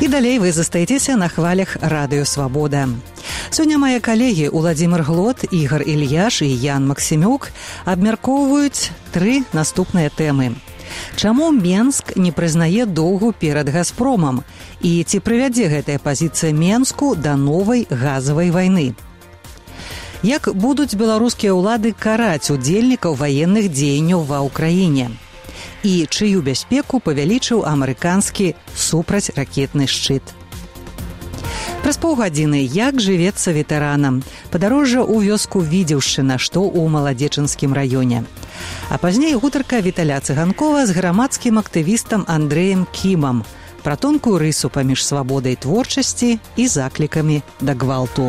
далей вы застаецеся на хвалях Радыё Свабода. Сёння мае калегі Уладзімір Глот, Ігар Ільяш і Ян Максімюк абмяркоўваюць 3 наступныя тэмы. Чаму Менск не прызнае доўгу перад «Газпромам» і ці прывядзе гэтая пазіцыя Менску да новай газавай вайны? Як будуць беларускія ўлады караць удзельнікаў ваенных дзеянняў ва ўкраіне? І чыю бяспеку павялічыў амерыканскі супрацьракетны шчыт. Праз паўгадзіны як жывецца ветэранам, падарожжа ў вёску Відзеўшчына, што ў Маладзечынскім раёне. А пазней гутарка Віталя Цыганкова з грамадскім актывістам Андрэем Кімам пра тонкую рысу паміж свабодай творчасці і заклікамі да гвалту.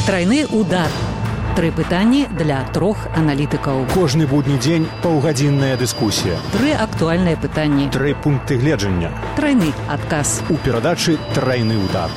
Трайны удар. 3 пытанні для 3 аналітыкаў. Кожны будні дзень паўгадзінная дыскусія. 3 актуальныя пытанні. 3 пункты гледжання. Трайны адказ. У перадачы «Трайны удар».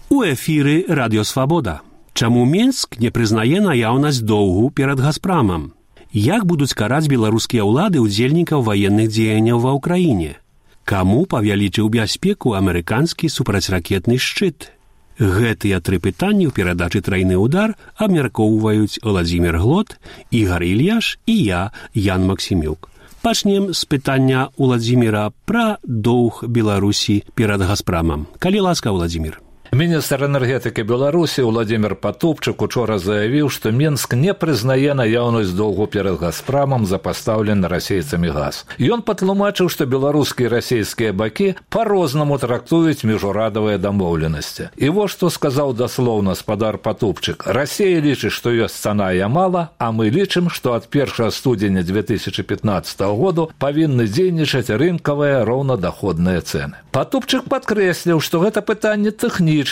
У эфіры Радыё Свабода. Чаму Менск не прызнае наяўнасць доўгу перад «Газпрамам»? Як будуць караць беларускія ўлады удзельнікаў ваенных дзеянняў ва ўкраіне? Каму павялічыў бяспеку амерыканскі супрацьракетны шчыт? Гэтыя 3 пытанні ў перадачы «Трайны удар» абмяркоўваюць Уладзімір Глот, Ігар Ільяш і я, Ян Максімюк. Пачнем з пытання Уладзіміра пра доўг Беларусі перад «Газпрамам». Калі ласка, Уладзімір. Міністр энергетыкі Беларусі Владимир Патупчык учора заявіў, што Менск не прызнае наяўнасць доўгу перад «Газпрамам» за пастаўлены расейцамі газ. Ён патлумачыў, што беларускія і расейскія бакі па-рознаму трактуюць міжурадавыя дамоўленасці. І вось што сказаў даслоўна спадар Патупчык. Расія лічыць, што ёсць цана і мала, а мы лічым, што ад 1 студзеня 2015 году павінны дзейнічаць рынкавыя роўнадаходныя цэны. Патупчык падкрэсліў, што гэта пытанне тэхнічнае,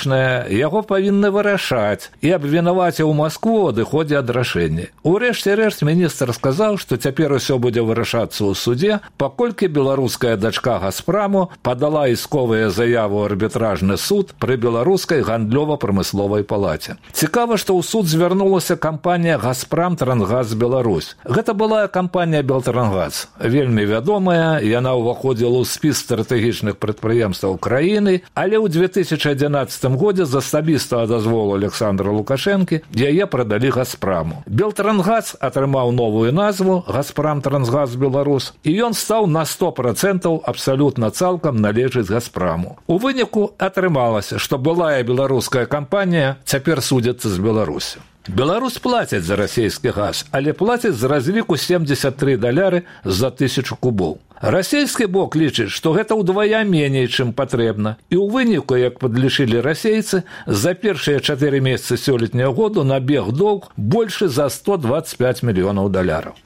яго павінны вырашаць і абвінаваціў Маскву ў адыходзе ад рашэння. Урэшце рэшт міністр сказаў, што цяпер усё будзе вырашацца ў судзе, паколькі беларуская дачка «Газпраму» падала ісковыя заявы ў арбітражны суд пры беларускай гандлёва-прамысловай палаце. Цікава, што ў суд звярнулася кампанія «Газпрам Трансгаз Беларусь». Гэта была кампанія «Белтрангаз». Вельмі вядомая, яна ўваходзіла ў спіс стратэгічных прадпрыемстваў краіны, але ў 2011 годзе з асабістага дазволу Александра Лукашэнкі яе прадалі «Газпраму». Белтрангаз атрымаў новую назву «Газпрам Трансгаз Беларусь» і ён стаў на 100% абсалютна цалкам належыць «Газпраму». У выніку атрымалася, што былая беларуская кампанія цяпер судзіцца з Беларусю. Беларусь плаціць за расійскі газ, але плаціць з разліку $73 за 1000 кубоў. Расійскі бок лічыць, што гэта ўдвая меней, чым патрэбна. І ў выніку, як падлічылі расейцы, за першыя 4 месяцы сёлетняга году набег доўг большы за $125 мільёнаў.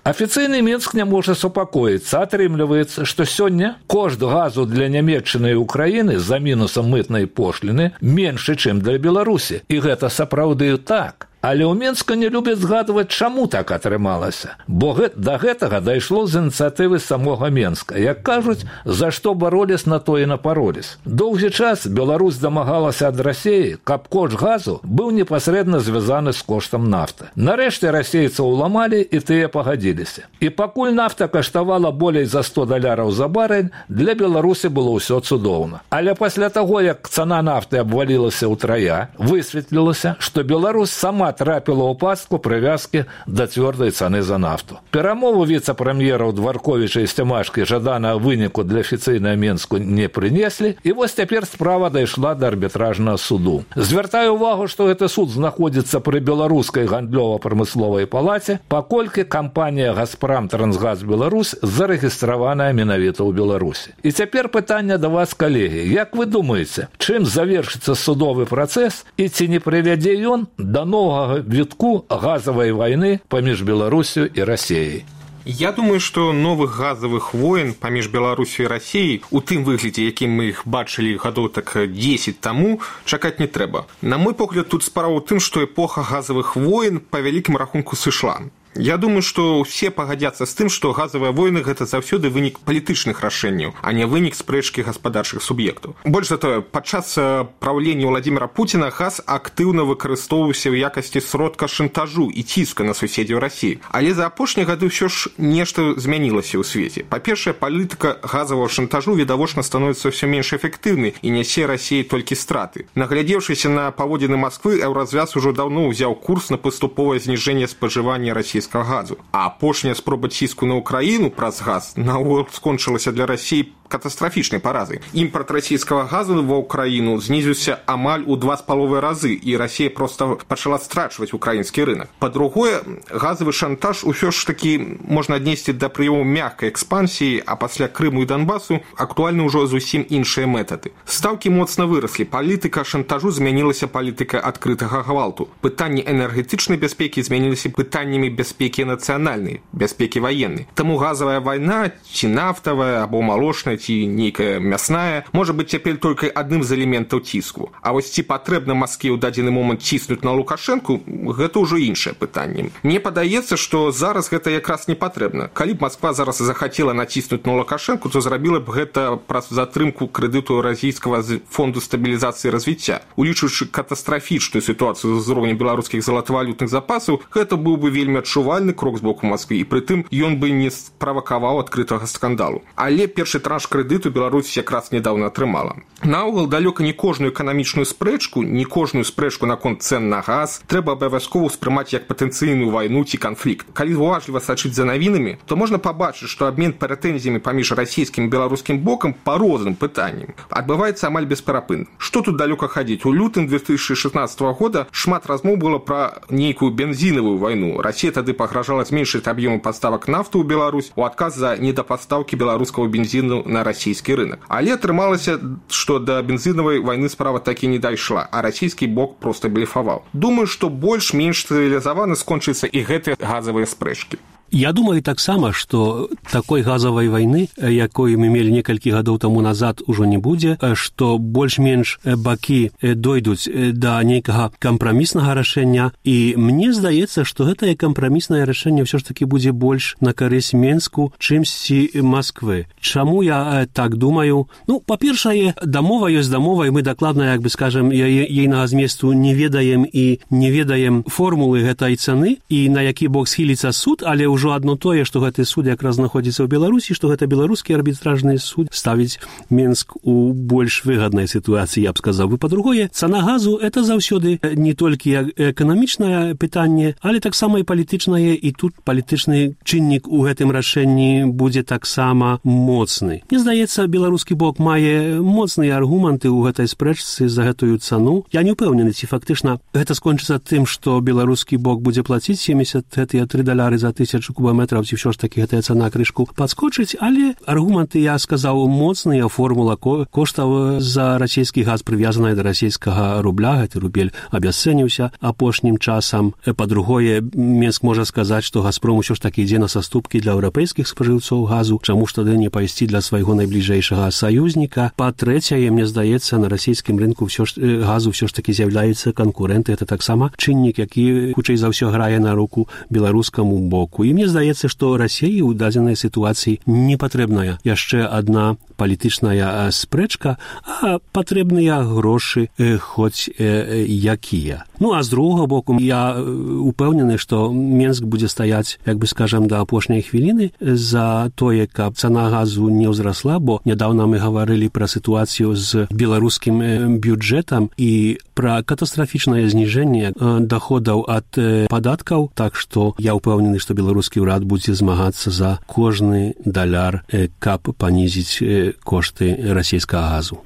Афіцыйны Менск не можа супакоіцца. Атрымліваецца, што сёння кошт газу для Нямецчыны і Украіны за мінусам мытнай пошліны меншы, чым для Беларусі. І гэта сапраўды так. Але ў Менска не любяць згадваць, чаму так атрымалася. Бо да гэтага дайшло з ініцыятывы самога Менска. Як кажуць, за што бароліс, на то і напароліс. Доўгі час Беларусь дамагалася ад Расіі, каб кошт газу быў непасрэдна звязаны з коштам нафты. Нарэшце расейцаў уламалі, і тыя пагадзіліся. І пакуль нафта каштавала болей за $100 за барэль, для Беларусі было ўсё цудоўна. Але пасля таго, як цана нафты абвалілася ўтрая, высветлілася, што Беларусь сама трапіла ў пастку прывязкі да цвёрдай цаны за нафту. Перамову віцэ-прэм'ераў Дварковіча і Сцямашкі жаданага выніку для афіцыйнага Менску не прынеслі, і вось цяпер справа дайшла да арбітражнага суду. Звяртаю ўвагу, што гэты суд знаходзіцца пры беларускай гандлёва-прамысловай палаце, паколькі кампанія «Газпрам Трансгаз Беларусь» зарэгістраваная менавіта ў Беларусі. І цяпер пытанне да вас, калегі. Як вы думаеце, чым завершыцца судовы працэс і ці не прывядзе ён да новага вітку газавай вайны паміж Беларусю і Расіяй? Я думаю, што новых газавых войн паміж Беларусю і Расіяй у тым выглядзе, якім мы іх бачылі гадоў так 10 таму, чакаць не трэба. На мой погляд, тут справа ў тым, што эпоха газавых войн па вялікім рахунку сышла. Я думаю, што ўсе пагадзяцца з тым, што газавыя войны – гэта заўсёды вынік палітычных рашэнняў, а не вынік спрэчкі гаспадарчых суб'ектаў. Больш за тое, падчас праўлення Владзіміра Пуціна газ актыўна выкарыстоўваўся ў якасці сродка шантажу і ціска на суседзяў Расіі. Але за апошнія гады ўсё ж нешта змянілася ў свеце. Па-першае, палітыка газавага шантажу відавочна становіцца ўсё менш эфектыўнай і нясе Расіі толькі страты. Наглядзеўшыся на паводзіны Масквы, Еўразвяз ужо даўно ўзяў курс на паступовае зніжэнне спажывання расійскага газу. А апошняя спроба ціску на ўкраіну праз газ наогул скончылася для Расіі катастрафічнай паразай. Імпарт расійскага газу ва ўкраіну знізіўся амаль у 2,5 разы, і Расія проста пачала страчваць украінскі рынок. Па-другое, газавы шантаж усё ж такі можна аднесці да прыёму мяккай экспансіі, а пасля Крыму і Донбасу актуальны ўжо зусім іншыя метады. Стаўкі моцна выраслі, палітыка шантажу змянілася палітыкай адкрытага гвалту. Пытанні энергетычнай бяспекі змяніліся пытаннямі бяспекі нацыянальнай, бяспекі ваеннай. Таму газавая вайна, ці нафтавая, або малочная, ці нейкая мясная, можа быць цяпер толькі адным з элементаў ціску. А вось ці патрэбна Маскве ў дадзены момант ціснуць на Лукашэнку, гэта ўжо іншае пытанне. Мне падаецца, што зараз гэта якраз не патрэбна. Калі б Масква зараз захацела націснуць на Лукашэнку, то зрабіла б гэта праз затрымку крэдыту Расійскага фонду стабілізацыі і развіцця. Улічваючы катастрафічную сітуацыю з узроўнем беларускіх залатавалютных запасаў, гэта быў бы вельмі адчувальны крок з боку Масквы, і прытым ён бы не справакаваў адкрытага скандалу. Але першы транш крэдыту Беларусь якраз нядаўна атрымала. Наогул, далёка не кожную эканамічную спрэчку, не кожную спрэчку наконт цэн на газ трэба абавязкова ўспрымаць як патэнцыйную вайну ці канфлікт. Калі уважліва сачыць за навінамі, то можна пабачыць, што абмен прэтэнзіямі паміж расійскім і беларускім бокам па розным пытанням адбываецца амаль бесперапынна. Што тут далёка хадзіць? У лютым 2016 года шмат размоў было пра нейкую бензінавую вайну. Расія тады пагражала зменшыць аб'ёмы паставак нафты ў Беларусь у адказ за недапастаўкі беларускага бензіну на расійскі рынок. Але атрымалася, што да бензінавай вайны справа такі не дайшла, а расійскі бок проста блефаваў. Думаю, што больш-менш цывілізавана скончыцца і гэтыя газавыя спрэчкі. Я думаю таксама, што такой газавай вайны, якой мы мелі некалькі гадоў таму назад, ужо не будзе, што больш-менш бакі дойдуць да нейкага кампраміснага рашэння, і мне здаецца, што гэтае кампраміснае рашэнне ўсё ж такі будзе больш на карысць Менску, чымсьці Масквы. Чаму я так думаю? Ну, па-першае, дамова ёсць дамова, і мы дакладна, як бы скажем, ейнага зместу не ведаем і не ведаем формулы гэтай цаны, і на які бок схіліцца суд, але ўжо адно тое, што гэты суд якраз знаходзіцца ў Беларусі, што гэта беларускі арбітражны суд ставіць Менск у больш выгаднай сітуацыі, я б сказаў. І па-другое, цана газу – это заўсёды не толькі эканамічнае пытанне, але таксама і палітычнае, і тут палітычны чыннік у гэтым рашэнні будзе таксама моцны. Мне здаецца, беларускі бок мае моцныя аргументы ў гэтай спрэчцы за гэтую цану. Я не ўпэўнены, ці фактычна гэта скончыцца тым, што беларускі бок будзе плаціць 70 $3 за 1000 кубометраў, ці ўсё ж такі гэтая цана крышку падскочыць, але аргументы, я сказаў, моцныя, формула коштаў за расійскі газ прывязаная да расійскага рубля, гэты рубель абясцэніўся апошнім часам. Па-другое, Менск можа сказаць, што Газпром усё ж такі ідзе на саступкі для еўрапейскіх спажыўцоў газу, чаму ж тады не пайсці для свайго найбліжэйшага саюзніка. Па-трэцяе, мне здаецца, на расійскім рынку газу ўсё ж такі з'яўляюцца канкурэнты, гэта таксама чыннік, які хутчэй за ўсё грае на руку беларускаму боку. І мне здаецца, што Расіі ў дадзенай сітуацыі не патрэбная яшчэ адна палітычная спрэчка, а патрэбныя грошы хоць якія. Ну, а з другога боку, я упэўнены, што Менск будзе стаяць, як бы скажам, да апошняй хвіліны за тое, каб цана газу не ўзрасла, бо нядаўна мы гаварылі пра сітуацыю з беларускім бюджэтам і пра катастрафічнае зніжэнне даходаў ад падаткаў, так што я ўпэўнены, што беларускі ўрад будзе змагацца за кожны даляр, каб панізіць кошты расійскага газу.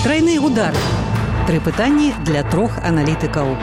Трайны удар. 3 пытанні для 3 аналітыкаў.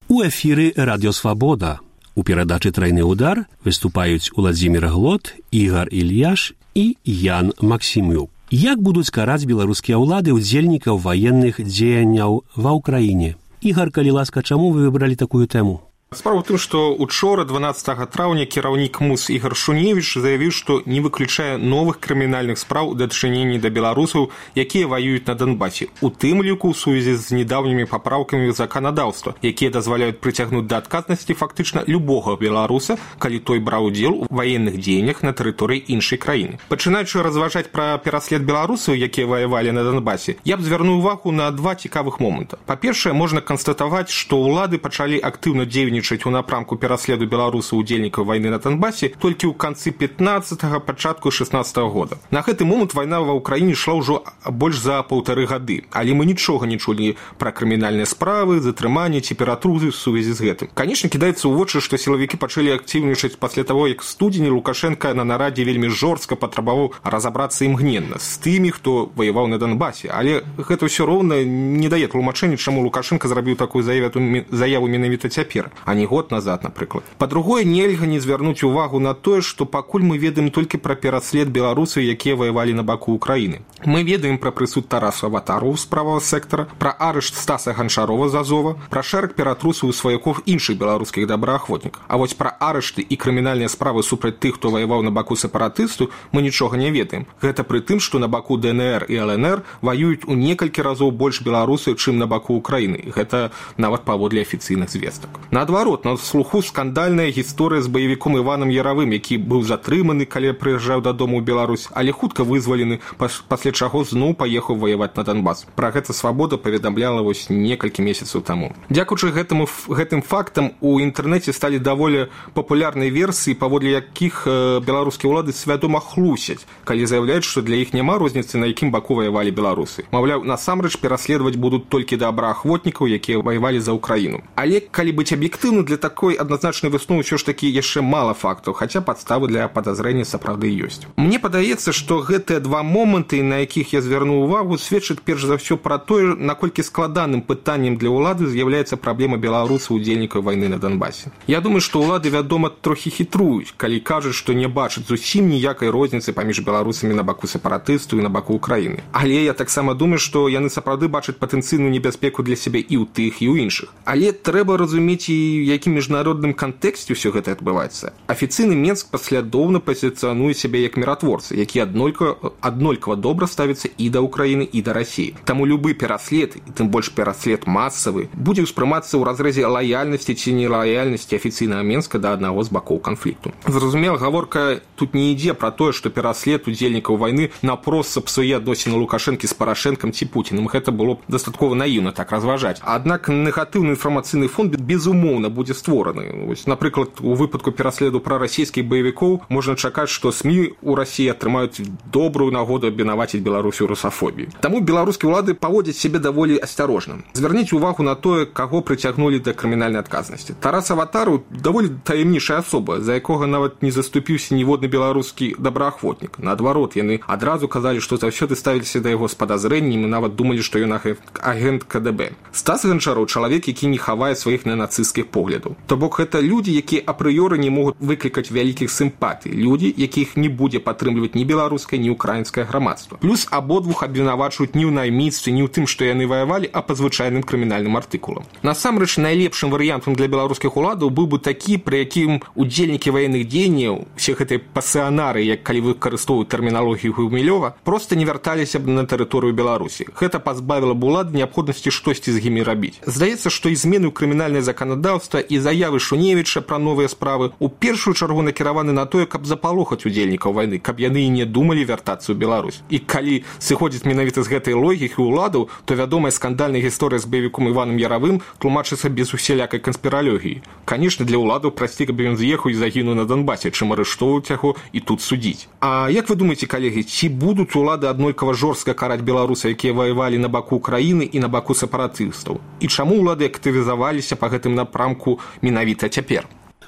У эфіры Радіо Свабода. У перадачы «Трайны удар» выступаюць Уладзімір Глот, Ігар Ільяш і Ян Максімюк. Як будуць караць беларускія ўлады ўдзельнікаў ваенных дзеянняў ва ўкраіне? Ігар, калі ласка, чаму вы выбралі такую тэму? Справа ў тым, што учора 12 траўня кіраўнік МУС Ігар Шуневіч заявіў, што не выключае новых крымінальных спраў у дачыненні да беларусаў, якія ваююць на Донбасе, у тым ліку ў сувязі з недаўнімі папраўкамі заканадаўства, якія дазваляюць прыцягнуць да адказнасці фактычна любога беларуса, калі той браў удзел у ваенных дзеяннях на тэрыторыі іншай краіны. Пачынаючы разважаць пра пераслед беларусаў, якія ваявалі на Донбасе, я б звярнуў увагу на два цікавых моманта. Па-першае, можна канстатаваць, што ўлады пачалі актыўна дзейнічаць у напрамку пераследу беларусаў удзельнікаў вайны на Донбасе толькі ў канцы 15-го, пачатку 16-го года. На гэты момант вайна ва ўкраіне ішла ўжо больш за 1,5 гады, але мы нічога не чулі пра крымінальныя справы, затрыманні ці ператрузы ў сувязі з гэтым. Канечне, кідаецца ў вочы, што сілавікі пачалі актыўнічаць пасля таго, як студзені Лукашенка на нарадзе вельмі жорстка патрабаваў разабрацца імгненна з тымі, хто ваяваў на Донбасе. Але гэта ўсё роўна не дае тлумачэння, чаму Лукашенка зрабіў такую заяву менавіта цяпер, а не год назад, напрыклад. Па-другое, нельга не звярнуць увагу на тое, што пакуль мы ведаем толькі пра пераслед беларусаў, якія ваявалі на баку Украіны. Мы ведаем пра прысуд Тараса Аватарова з правага сектара, пра арышт Стаса Ганчарова з Азова, пра шэраг ператрусаў у сваякоў іншых беларускіх добраахвотнікаў. А вось пра арышты і крымінальныя справы супраць тых, хто ваяваў на баку сепаратыстаў, мы нічога не ведаем. Гэта пры тым, што на баку ДНР і ЛНР ваююць у некалькі разоў больш беларусаў, чым на баку Украіны. Гэта нават паводле афіцыйных звестак. Наадварот, на слуху скандальная гісторыя з баевіком Іванам Яравым, які быў затрыманы, калі прыязджаў дадому ў Беларусь, але хутка вызвалены, пасля чаго зноў паехаў ваяваць на Донбас. Пра гэта Свабода паведамляла вось некалькі месяцаў таму. Дзякуючы гэтым фактам у інтэрнэце сталі даволі папулярныя версіі, паводле якіх беларускія ўлады свядома хлусяць, калі заяўляюць, што для іх няма розніцы, на якім баку ваявалі беларусы. Маўляў, насамрэч пераследаваць будуць толькі добраахвотнікаў, якія ваявалі за Украіну. Але калі быць аб'ектыўным, для такой адназначнай высновы ўсё ж такі яшчэ мала фактаў, хаця падставы для падазрэння сапраўды ёсць. Мне падаецца, што гэтыя два моманты, на якіх я звярнуў увагу, сведчаць перш за ўсё пра тое, наколькі складаным пытаннем для ўлады з'яўляецца праблема беларусаў удзельнікаў вайны на Донбасе. Я думаю, што ўлады, вядома, трохі хітруюць, калі кажуць, што не бачаць зусім ніякай розніцы паміж беларусамі на баку сепаратыстаў і на баку Украіны. Але я таксама думаю, што яны сапраўды бачаць патэнцыйную небяспеку для сябе і ў тых, і ў іншых. Але трэба разумець, і якім міжнародным кантэксце ўсё гэта адбываецца. Афіцыйны Менск паслядоўна пазіцыянуе сябе як міратворцы, які аднолькава добра ставіцца і да Украіны, і да Расіі. Таму любы пераслед, і тым больш пераслед масавы, будзе ўспрымацца ў разрэзе лаяльнасці ці нелаяльнасці афіцыйнага Менска да аднаго з бакоў канфлікту. Зразумела, гаворка тут не ідзе пра тое, што пераслед удзельнікаў вайны напрост сапсуе адносіны Лукашэнкі з Парашэнкам ці Пуціным. Гэта было дастаткова наіўна так разважаць. Аднак негатыўны інфармацыйны фон безумоўна будзе створаны. Вось, напрыклад, у выпадку пераследу прарасійскіх баевікоў можна чакаць, што СМІ ў Расіі атрымаюць добрую нагоду абвінаваціць Беларусь у русафобіі. Таму беларускія ўлады паводзяць сябе даволі асцярожна. Звярніце увагу на тое, каго прыцягнулі да крымінальнай адказнасці. Тарас Аватару даволі таямнічая асоба, за якога нават не заступіўся ніводны беларускі добраахвотнік. Наадварот, яны адразу казалі, што заўсёды ставіліся да яго з падазрэннем і нават думалі, што ён агент КДБ. Стас Ганчаров — чалавек, які не хавае сваіх ненацысцкіх поглядаў. То бок гэта людзі, якія апрыёры не могуць выклікаць вялікіх сімпатый, людзі, якіх не будзе падтрымліваць ні беларускае, ні ўкраінскае грамадства. Плюс абодвух абвінавачваюць не ў найміцтве, не ў тым, што яны ваявалі, а па звычайным крымінальным артыкулам. Насамрэч, найлепшым варыянтам для беларускіх уладаў быў бы такі, пры якім удзельнікі ваенных дзеянняў, усе гэтыя пасіянары, як калі выкарыстоўваюць тэрміналогію Гумілёва, проста не вярталіся б на тэрыторыю Беларусі. Гэта пазбавіла б улады неабходнасці штосьці з імі рабіць. Здаецца, што і змены ў крымінальнае заканадаўства і заявы Шуневіча пра новыя справы у першую чаргу накіраваны на тое, каб запалохаць удзельнікаў вайны, каб яны і не думалі вяртацца ў Беларусь. І калі сыходзіць менавіта з гэтай логікі ўладаў, то вядомая скандальная гісторыя з баевіком Іванам Яравым тлумачыцца без усялякай канспіралогіі. Канешне, для ўладаў прасцей, каб ён з'ехаў і загінуў на Донбасе, чым арыштоўваць яго і тут судзіць. А як вы думаеце, калегі, ці будуць улады аднолькава жорстка караць беларусаў, якія ваявалі на баку Украіны і на баку сепаратыстаў? І чаму ўлады актывізаваліся па гэтым напрамку менавіта цяпер?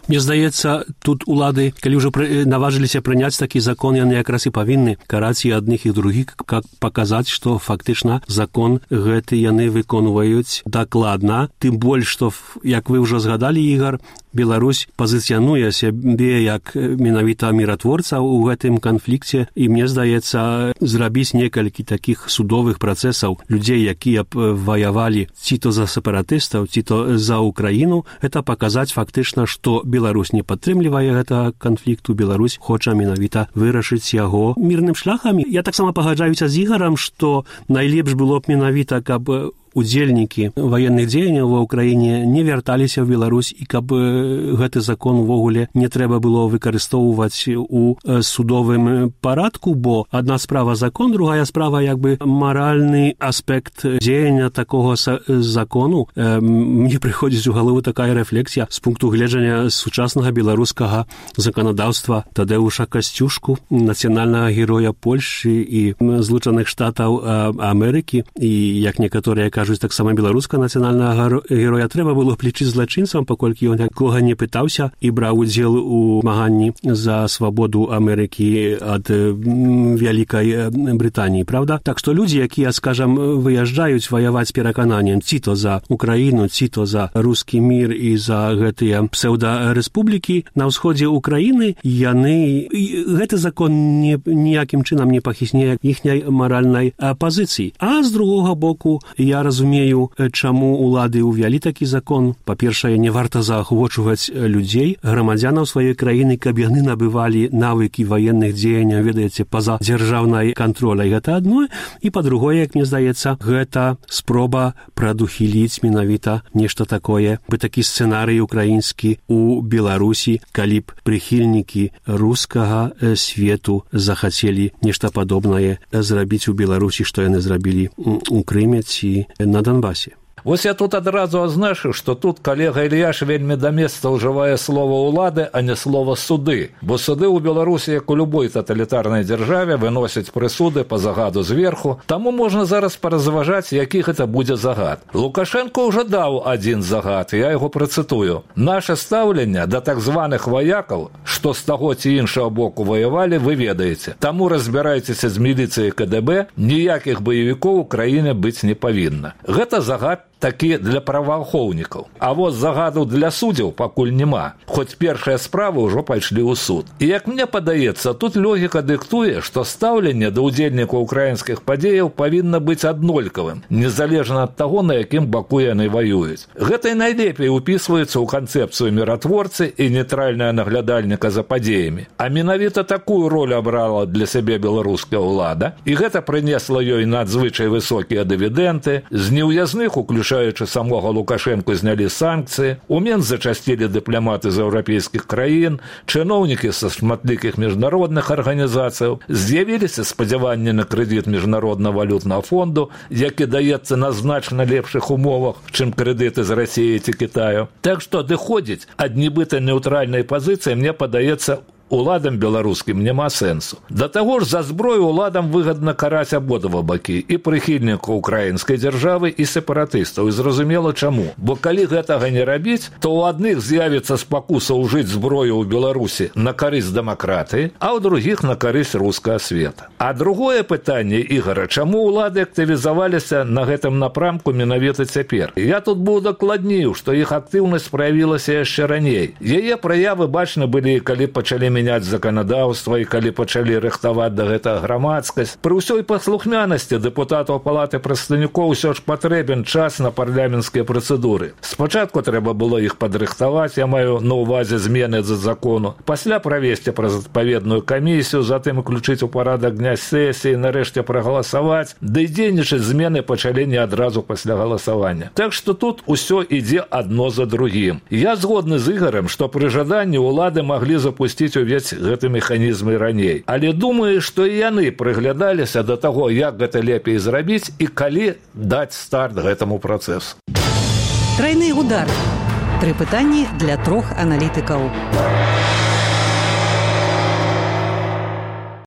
Мне здаецца, тут улады, калі ўжо наважыліся прыняць такі закон, яны якраз і павінны караць і адных і другіх, каб паказаць, што фактычна закон гэты яны выконваюць дакладна. Тым больш, што, як вы ўжо згадалі, Ігар, Беларусь пазіцыянуе сябе як менавіта міратворца ў гэтым канфлікце, і мне здаецца, зрабіць некалькі такіх судовых працэсаў людзей, якія б ваявалі ці то за сепаратыстаў, ці то за Украіну, это паказаць фактычна, што Беларусь не падтрымлівае гэтага канфлікту, Беларусь хоча менавіта вырашыць яго мірным шляхам. Я таксама пагаджаюся з Ігарам, што найлепш было б менавіта, каб удзельнікі ваенных дзеянняў ва ўкраіне не вярталіся ў Беларусь і каб гэты закон увогуле не трэба было выкарыстоўваць у судовым парадку, бо адна справа закон, другая справа як бы маральны аспект дзеяння такога закону. Мне прыходзіць у галаву такая рэфлексія з пункту гледжання сучаснага беларускага заканадаўства Тадэуша Касцюшку, нацыянальнага героя Польшчы і Злучаных Штатаў Амерыкі, і як некаторыя кажуць, таксама беларускага нацыянальнага героя трэба было б лічыць злачынцам, паколькі ён нікога не пытаўся і браў удзел у змаганні за свабоду Амерыкі ад Вялікай Брытаніі, правда? Так што людзі, якія, скажам, выязджаюць ваяваць перакананнем ці то за Украіну, ці то за рускі мір і за гэтыя псеўдарэспублікі на ўсходзе Украіны, яны... Гэты закон ніякім чынам не пахісне іхняй маральнай пазіцыі. А з другога боку, я разумею, чаму улады ўвялі такі закон. Па-першае, не варта заахвочваць людзей, грамадзянаў сваёй краіны, каб яны набывалі навыкі ваенных дзеянняў, ведаеце, па-за дзяржаўнай кантроляй. Гэта адно. І па-другое, як мне здаецца, гэта спроба прадухіліць менавіта нешта такое, бы такі сцэнарый украінскі у Беларусі, калі б прыхільнікі рускага свету захацелі нешта падобнае зрабіць у Беларусі, што яны зрабілі у Крыме ці на Донбасе. Вось я тут адразу азначу, што тут калега Ільяш вельмі да месца ўжывае слова ўлады, а не слова суды. Бо суды ў Беларусі, як у любой таталітарнай дзяржаве, выносяць прысуды па загаду зверху. Таму можна зараз паразважаць, які гэта будзе загад. Лукашенко ўжо даў адзін загад, я яго працытую. Наше стаўленне да так званых ваякаў, што з таго ці іншага боку ваявалі, вы ведаеце. Таму разбірайцеся з міліцыяй КДБ, ніякіх баевікоў у краіне быць не павінна. Гэта загад такі для праваахоўнікаў. А вот загаду для суддзяў пакуль няма, хоць першыя справы ўжо пайшлі ў суд. І як мне падаецца, тут логіка дыктуе, што стаўленне да ўдзельнікаў украінскіх падзеяў павінна быць аднолькавым, незалежна ад таго, на якім баку яны ваююць. Гэта і найлепей упісваецца ў канцэпцыю міратворцы і нейтральнага наглядальніка за падзеямі. А менавіта такую ролю абрала для сябе беларуская ўлада, і гэта прынесла ёй надзвычай высокія дывідэнты, з неўязных уключаючы самога Лукашенко знялі санкцыі, у Менск зачасцілі дыпламаты з еўрапейскіх краін, чыноўнікі са шматлікіх міжнародных арганізацыяў, з'явіліся спадзяванні на крэдыт міжнароднага валютнага фонду, які даецца на значна лепшых умовах, чым крэдыты з Расіі ці Кітаю. Так што адыходзіць ад нібыта нейтральнай пазіцыі, мне падаецца, уладам беларускім няма сэнсу. Да таго ж за зброю уладам выгадна караць абодва бакі, і прыхільнікаў украінскай дзяржавы, і сепаратыстаў. І зразумела чаму. Бо калі гэтага не рабіць, то ў адных з'явіцца спакуса ўжыць зброю ў Беларусі на карысць дэмакратыі, а ў другіх на карысць рускага света. А другое пытанне, Ігара, чаму улады актывізаваліся на гэтым напрамку менавіта цяпер? Я тут быў дакладніў, што іх актыўнасць праявілася яшчэ раней. Яе праявы бачны былі, калі пачалі мяняць заканадаўства і калі пачалі рыхтаваць да гэтага грамадскасць. Пры ўсёй паслухмянасці дэпутатаў палаты прадстаўнікоў усё ж патрэбен час на парламенцкія працэдуры. Спачатку трэба было іх падрыхтаваць, я маю на ўвазе змены за закону, пасля правесці праз адпаведную камісію, затым уключыць у парадак дня сесіі, нарэшце прагаласаваць, ды і дзейнічаць змены пачалі не адразу пасля галасавання. Так што тут усё ідзе адно за другім. Я згодны з Ігарам, што пры жаданні ўлады маглі запусціць увесь гэты механізм і раней. Але думаю, што і яны прыглядаліся да таго, як гэта лепей зрабіць і калі даць старт гэтаму працэсу. Трайны удар. 3 пытанні для 3 аналітыкаў.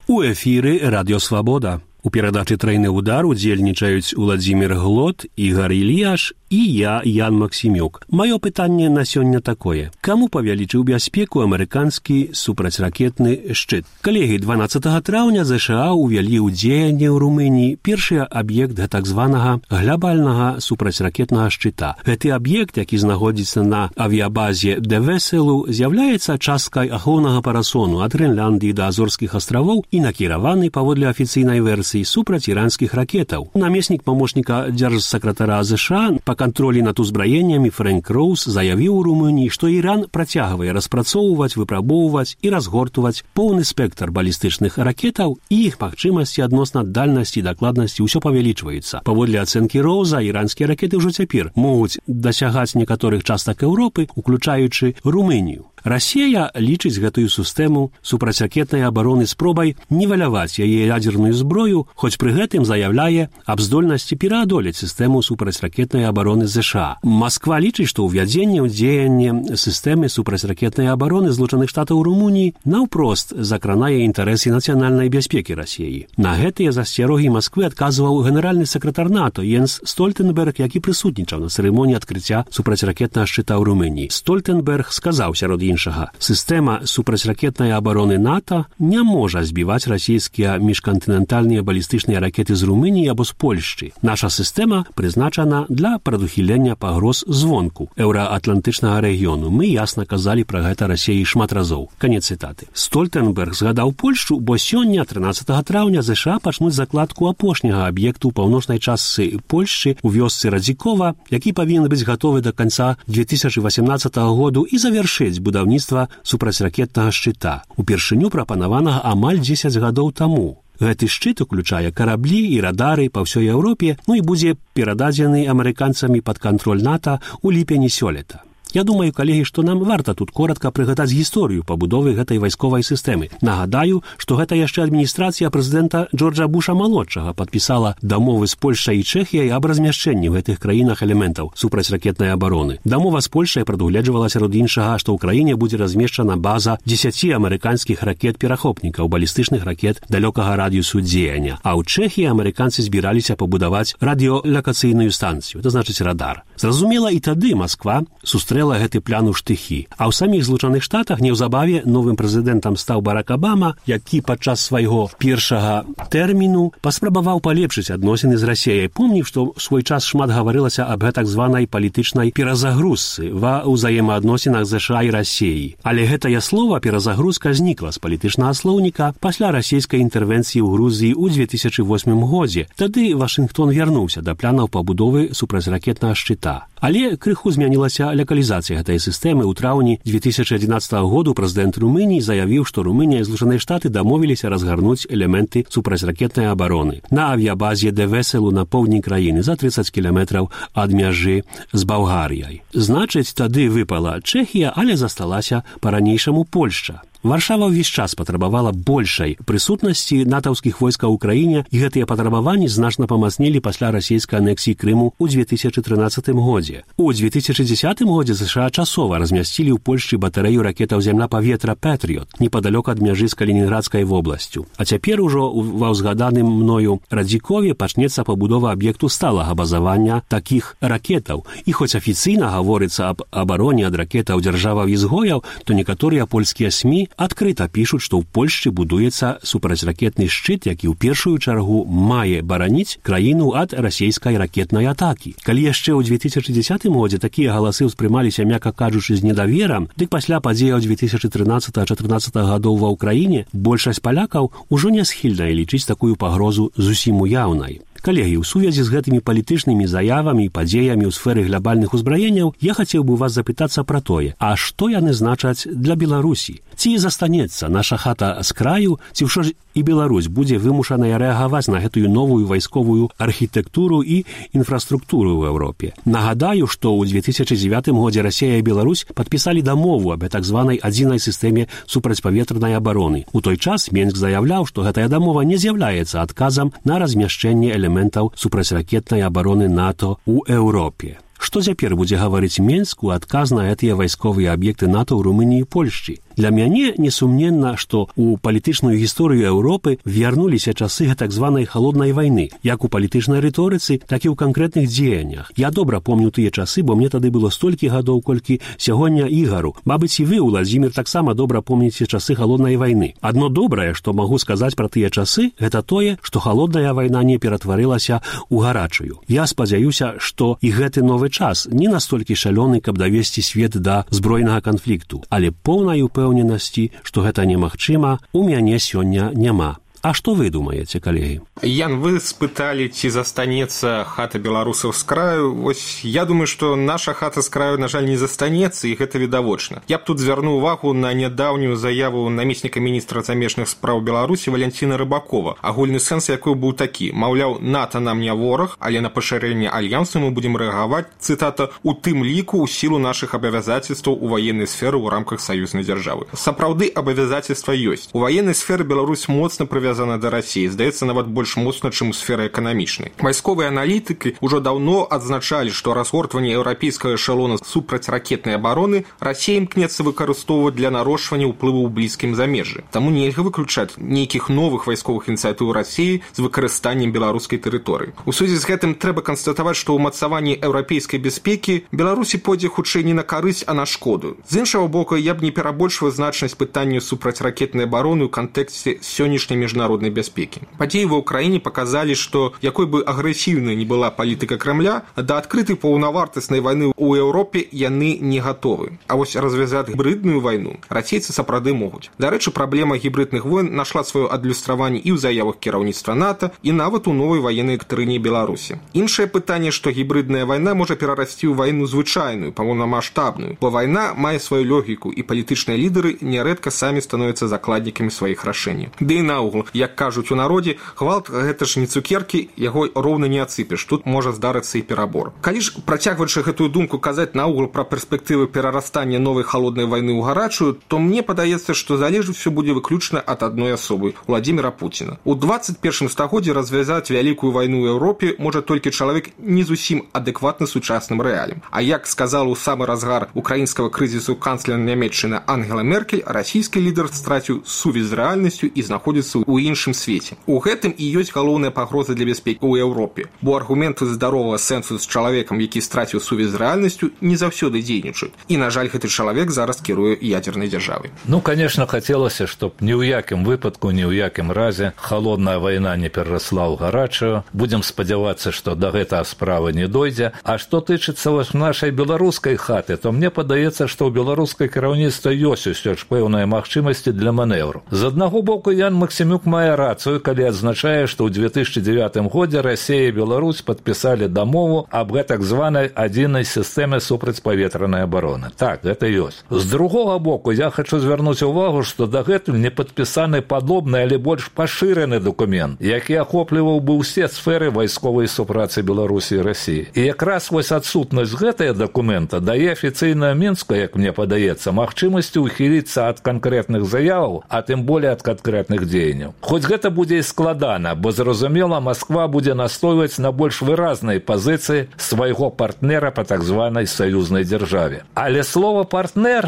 У эфіры Радіо Свабода. У перадачы «Трайны удар» удзельнічаюць Уладзімір Глот, Ігар Ільяш і я, Ян Максімюк. Маё пытанне на сёння такое. Каму павялічыў бяспеку амерыканскі супрацьракетны шчыт? Калегі, 12 траўня ЗША увялі ў дзеянне ў Румыніі першы аб'ект так званага глобальнага супрацьракетнага шчыта. Гэты аб'ект, які знаходзіцца на авіябазе Девеселу, з'яўляецца часткай ахоўнага парасону ад Грэнляндыі да Азорскіх астравоў і накіраваны паводле афіцыйнай версіі супраць іранскіх ракетаў. Намеснік памочніка дзяржсакратара ЗША па кантролі над узбраеннямі Фрэнк Роуз заявіў у Румыніі, што Іран працягвае распрацоўваць, выпрабоўваць і разгортваць поўны спектр балістычных ракетаў, і іх магчымасці адносна дальнасці і дакладнасці ўсё павялічваюцца. Паводле ацэнкі Роуза, іранскія ракеты ўжо цяпер могуць дасягаць некаторых частак Еўропы, уключаючы Румынію. Расія лічыць гэтую сістэму супрацьракетнай абароны спробай нівеляваць яе ядзерную зброю, хоць пры гэтым заяўляе аб здольнасці пераадолець сістэму супрацьракетнай абароны ЗША. Масква лічыць, што ўвядзенне ў дзеянне сістэмы супрацьракетнай абароны Злучаных Штатаў Румыніі наўпрост закранае інтарэсы нацыянальнай бяспекі Расіі. На гэтыя засцярогі Масквы адказваў генеральны сакратар НАТО Йенс Стольтенберг, які прысутнічаў на цырымоніі адкрыцця супрацьракетнага шчыта ў Румыніі. Стольтенберг сказаў сярод іншага: сістэма супрацьракетнай абароны НАТО не можа збіваць расійскія міжкантынентальныя балістычныя ракеты з Румыніі або з Польшчы. Наша сістэма прызначана для прадухілення пагроз звонку еўраатлантычнага рэгіёну. Мы ясна казалі пра гэта Расіі шмат разоў. Канец цытаты. Стольтенберг згадаў Польшчу, бо сёння, 13 траўня, ЗША пачнуць закладку апошняга аб'екту ў паўночнай частцы Польшчы у вёсцы Радзікова, які павінен быць гатовы да канца 2018 году і завяршыць будаўніцтва супрацьракетнага шчыта, упершыню прапанаванага амаль 10 гадоў таму. Гэты шчыт уключае караблі і радары па ўсёй Еўропе, і будзе перададзены амерыканцамі пад кантроль НАТО ў ліпені сёлета. Я думаю, калегі, што нам варта тут коратка прыгадаць гісторыю пабудовы гэтай вайсковай сістэмы. Нагадаю, што гэта яшчэ адміністрацыя прэзідэнта Джорджа Буша-малодшага падпісала дамовы з Польшчай і Чэхіяй аб размяшчэнні ў гэтых краінах элементаў супрацьракетнай абароны. Дамова з Польшчай прадугледжвала сярод іншага, што ў краіне будзе размешчана база 10 амерыканскіх ракет-перахопнікаў, балістычных ракет далёкага радыусу дзеяння. А ў Чэхіі амерыканцы збіраліся пабудаваць радыёлакацыйную станцыю, то значыць радар. Зразумела, і тады Масква сустрэла гэты план у штыхі. А ў саміх Злучаных Штатах неўзабаве новым прэзідэнтам стаў Барак Абама, які падчас свайго першага тэрміну паспрабаваў палепшыць адносіны з Расіяй. Помніў, што ў свой час шмат гаварылася аб гэтак званай палітычнай перазагрузцы ва ўзаемаадносінах ЗША і Расіі. Але гэтае слова перазагрузка знікла з палітычнага слоўніка пасля расійскай інтэрвенцыі ў Грузіі ў 2008 годзе. Тады Вашынгтон вярнуўся да планаў пабудовы супрацьракетнага шчыта. Але крыху змянілася лакалізацыя гэтай сістэмы. У траўні 2011 году прэзідэнт Румыніі заявіў, што Румынія і Злучаныя Штаты дамовіліся разгарнуць элементы супрацьракетнай абароны на авіябазе Девеселу на поўдні краіны за 30 кіламетраў ад мяжы з Балгарыяй. Значыць, тады выпала Чэхія, але засталася па-ранейшаму Польшча. Варшава ўвесь час патрабавала большай прысутнасці натаўскіх войскаў у краіне, і гэтыя патрабаванні значна памацнелі пасля расійскай анексіі Крыму ў 2013 годзе. У 2010 годзе ЗША часова размясцілі ў Польшчы батарэю ракетаў зямля-паветра «Пэтрыёт» непадалёк ад мяжы з Калінінградскай вобласцю. А цяпер ужо ва ўзгаданым мною Радзікове пачнецца пабудова аб'екту сталага базавання такіх ракетаў. І хоць афіцыйна гаворыцца аб абароне ад ракетаў дзяржаваў-ізгояў, то некаторыя польскія СМІ адкрыта пішуць, што ў Польшчы будуецца супрацьракетны шчыт, які ў першую чаргу мае бараніць краіну ад расійскай ракетнай атакі. Калі яшчэ ў 2010 годзе такія галасы ўспрымаліся, мякка кажучы, з недаверам, дык пасля падзеяў 2013-2014 гадоў ва ўкраіне большасць палякаў ужо не схільная лічыць такую пагрозу зусім уяўнай. Калегі, у сувязі з гэтымі палітычнымі заявамі і падзеямі ў сферы глобальных узбраенняў я хацеў бы вас запытацца пра тое, а што яны значаць для Беларусі? Ці застанецца наша хата з краю, ці ўжо ж і Беларусь будзе вымушаная рэагаваць на гэтую новую вайсковую архітэктуру і інфраструктуру ў Еўропе? Нагадаю, што ў 2009 годзе Расія і Беларусь падпісалі дамову аб так званай адзінай сістэме супрацьпаветранай абароны. У той час Менск заяўляў, што гэтая дамова не з'яўляецца адказам на размяшчэнне элементаў супрацьракетнай абароны НАТО ў Еўропе. Што цяпер будзе гаварыць Менск у адказ на гэтыя вайсковыя аб'екты НАТО ў Румыніі і Польшчы? Для мяне несумненна, што у палітычную гісторыю Еўропы вярнуліся часы так званай халоднай вайны, як у палітычнай рыторыцы, так і ў канкрэтных дзеяннях. Я добра помню тыя часы, бо мне тады было столькі гадоў, колькі сягоння Ігару. Мабыць, і вы, Уладзімір, таксама добра помніце часы халоднай вайны. Адно добрае, што магу сказаць пра тыя часы, гэта тое, што халодная вайна не ператварылася ў гарачую. Я спадзяюся, што і гэты новы час не настолькі шалёны, каб давесці свет да збройнага канфлікту, але поўнай упэўненасці, што гэта немагчыма, у мяне сёння няма. А што вы думаеце, калегі? Ян, вы спыталі, ці застанецца хата беларусаў з краю. Вось я думаю, што наша хата з краю, на жаль, не застанецца, і гэта відавочна. Я б тут звярнуў увагу на нядаўнюю заяву намесніка міністра замежных спраў Беларусі Валянціна Рыбакова, агульны сэнс якой быў такі: маўляў, НАТО нам не вораг, але на пашырэнне альянсу мы будзем рэагаваць, цытата, у тым ліку ў сілу нашых абавязацельстваў у ваеннай сферы ў рамках саюзнай дзяржавы. Сапраўды абавязацельства ёсць. У ваеннай сферы Беларусь моцна прывязана да Расіі, здаецца, нават больш моцна, чым у сферы эканамічнай. Вайсковыя аналітыкі ўжо даўно адзначалі, што разгортванне еўрапейскага эшалона супрацьракетнай абароны Расія імкнецца выкарыстоўваць для нарошчвання ўплыву ў блізкім замежжы. Таму нельга выключаць нейкіх новых вайсковых ініцыятыў Расіі з выкарыстаннем беларускай тэрыторыі. У сувязі з гэтым трэба канстатаваць, што ўмацаванне еўрапейскай бяспекі Беларусі пойдзе хутчэй не на карысць, а на шкоду. З іншага боку, я б не перабольшваў значнасць пытання супрацьракетнай абароны ў кантэксце сённяшняй міжнароднай бяспекі. Падзеі ва ўкраіне паказалі, што якой бы агрэсіўнай не была палітыка Крамля, да адкрытай паўнавартаснай вайны ў Еўропе яны не гатовы. А вось развязаць гібридную вайну расейцы сапраўды могуць. Дарэчы, праблема гібридных войн нашла сваё адлюстраванне і ў заявах кіраўніцтва НАТО, і нават у новай ваеннай дактрыне Беларусі. Іншае пытанне, што гібридная вайна можа перарасці ў вайну звычайную, паўнамаштабную, бо вайна мае сваю логіку, і палітычныя лідары нярэдка самі становяцца закладнікамі сваіх рашэнняў. Ды і наогул, як кажуць у народзе, гвалт гэта ж не цукеркі, яго роўна не ацыпеш, тут можа здарыцца і перабор. Калі ж, працягваючы гэтую думку, казаць наогул пра перспектывы перарастання новай халоднай вайны ў гарачую, то мне падаецца, што залежыць усё будзе выключна ад адной асобы – Владзіміра Пуціна. У 21 стагоддзі развязаць вялікую вайну ў Еўропе можа толькі чалавек не зусім адэкватны сучасным рэаліям. А як сказала ў самы разгар украінскага крызісу канцлер Нямецчыны Ангела Меркель, расійскі лідар страціў сувязь з рэальнасцю і знаходзіцца ў іншым свеце. У гэтым і ёсць галоўная пагроза для бяспекі ў Еўропе, бо аргументы здаровага сэнсу з чалавекам, які страціў сувязь з рэальнасцю, не заўсёды дзейнічаюць. І, на жаль, гэты чалавек зараз кіруе ядзернай дзяржавай. Ну, конечно, хацелася, чтоб ні ў якім выпадку, ні ў якім разе халодная вайна не перарасла ў гарачую. Будзем спадзявацца, што да гэтага справы не дойдзе. А што тычыцца вось нашай беларускай хаты, то мне падаецца, што ў беларускай кіраўніцтва ёсць усё ж пэўныя магчымасці для манеўру. З аднаго боку, Ян Максімюк мае рацыю, калі адзначае, што ў 2009 годзе Расія і Беларусь падпісалі дамову аб гэтак званай адзінай сістэме супрацьпаветранай абароны. Так, гэта ёсць. З другога боку, я хочу звярнуць увагу, што дагэтуль не падпісаны падобны, але больш пашыраны дакумент, які ахопліваў бы ўсе сферы вайсковай супрацы Беларусі і Расіі. І якраз вось адсутнасць гэтага дакумента дае афіцыйна Мінску, як мне падаецца, магчымасці ўхіліцца ад канкрэтных заяваў, а тым болей ад канкрэтных дзеянняў. Хоць гэта будзе і складана, бо, зразумела, Масква будзе настойваць на больш выразнай пазіцыі свайго партнера па так званай саюзнай дзяржаве. Але слова партнер,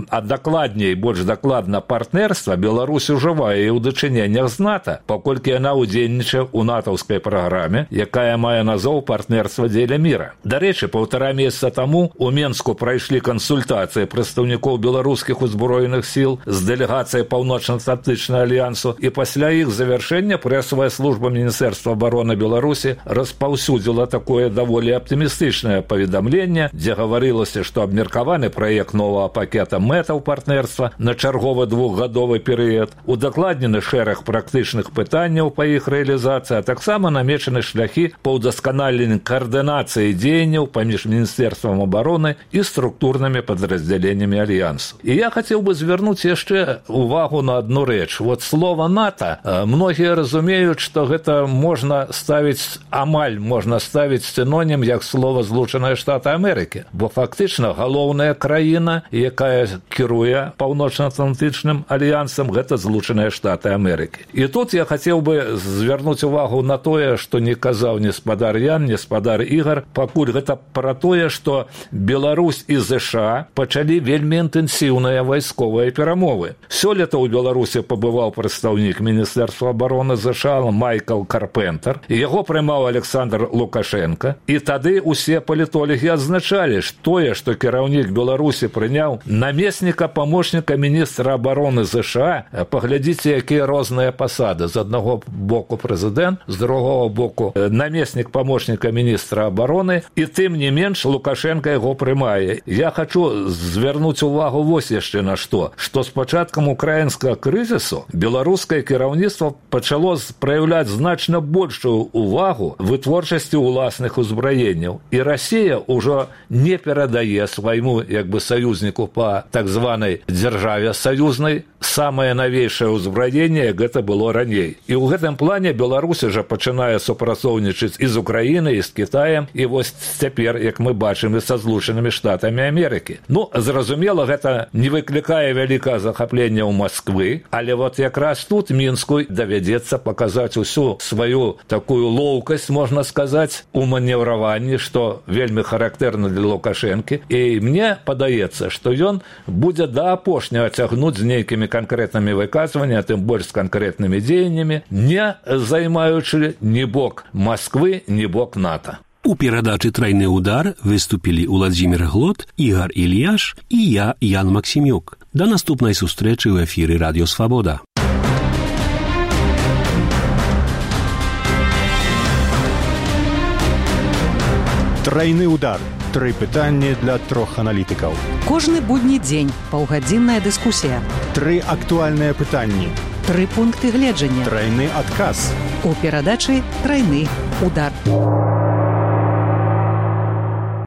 а дакладней, больш дакладна партнерства, Беларусь ужывае і ў дачыненнях з НАТО, паколькі яна ўдзельнічае ў натаўскай праграме, якая мае назоў партнерства дзеля міра. Дарэчы, 1,5 месяца таму у Менску прайшлі кансультацыі прадстаўнікоў беларускіх узброеных сіл з дэлегацыяй Паўночна-Атлантычнага альянсу, і пасля іх завяршэння прэсавая служба Міністэрства абароны Беларусі распаўсюдзіла такое даволі аптымістычнае паведамленне, дзе гаварылася, што абмеркаваны праект новага пакета мэтаў партнерства на чарговы 2-гадовы перыяд, удакладнены шэраг практычных пытанняў па іх рэалізацыі, а таксама намечаны шляхі па ўдасканаленні каардынацыі дзеянняў паміж Міністэрствам абароны і структурнымі падраздзяленнямі альянсу. І я хацеў бы звярнуць яшчэ увагу на адну рэч. Вот слова НАТО НАТО, многія разумеюць, што гэта можна ставіць, амаль можна ставіць синонім як слова Злучаныя Штаты Амерыкі, бо фактычна галоўная краіна, якая кіруе Паўночна-Атлантычным альянсам, гэта Злучаныя Штаты Амерыкі. І тут я хацеў бы звярнуць увагу на тое, што не казаў ні спадар Ян, ні спадар Ігар, пакуль гэта пра тое, што Беларусь і ЗША пачалі вельмі інтэнсіўныя вайсковыя перамовы. Сёлета ў Беларусі пабываў прадстаўнік Міністэрства абароны ЗША Майкл Карпентер, і яго прымаў Александр Лукашенко, і тады усе палітолагі адзначалі, тое, што кіраўнік Беларусі прыняў намесніка памочніка міністра абароны ЗША, паглядзіце, якія розныя пасады. З аднаго боку прэзідэнт, з другого боку намеснік памочніка міністра абароны, і тым не менш Лукашенко яго прымае. Я хочу звярнуць увагу вось яшчэ на што з пачаткам украінскага крызісу беларускае кіраўніцтва пачало праяўляць значна большую увагу вытворчасці ўласных узбраенняў. І Расія ўжо не перадае свайму саюзніку па так званай дзяржаве саюзнай самае навейшае ўзбраенне, як гэта было раней. І ў гэтым плане Беларусь уже пачынае супрацоўнічаць і з Украінай, і з Кітаем, і вось цяпер, як мы бачым, і са Злучанымі Штатамі Амерыкі. Зразумела, гэта не выклікае вялікае захаплення ў Масквы, але вот якраз тут Мінску давядзецца паказаць усю сваю такую лоўкасць, можна сказаць, у манеўраванні, што вельмі характэрна для Лукашэнкі. І мне падаецца, што ён будзе да апошняга цягнуць з нейкімі канкрэтнымі выказваннямі, тым больш з канкрэтнымі дзеяннямі, не займаючы ні бок Масквы, ні бок НАТО. У перадачы «Трайны удар» выступілі Уладзімір Глот, Ігар Ільяш і я, Ян Максімюк. Да наступнай сустрэчы ў эфіры Радіё Свабода. Трайны удар. 3 пытанні для 3 аналітыкаў. Кожны будні дзень паўгадзінная дыскусія. 3 актуальныя пытанні. 3 пункты гледжання. Трайны адказ. У перадачы «Трайны удар».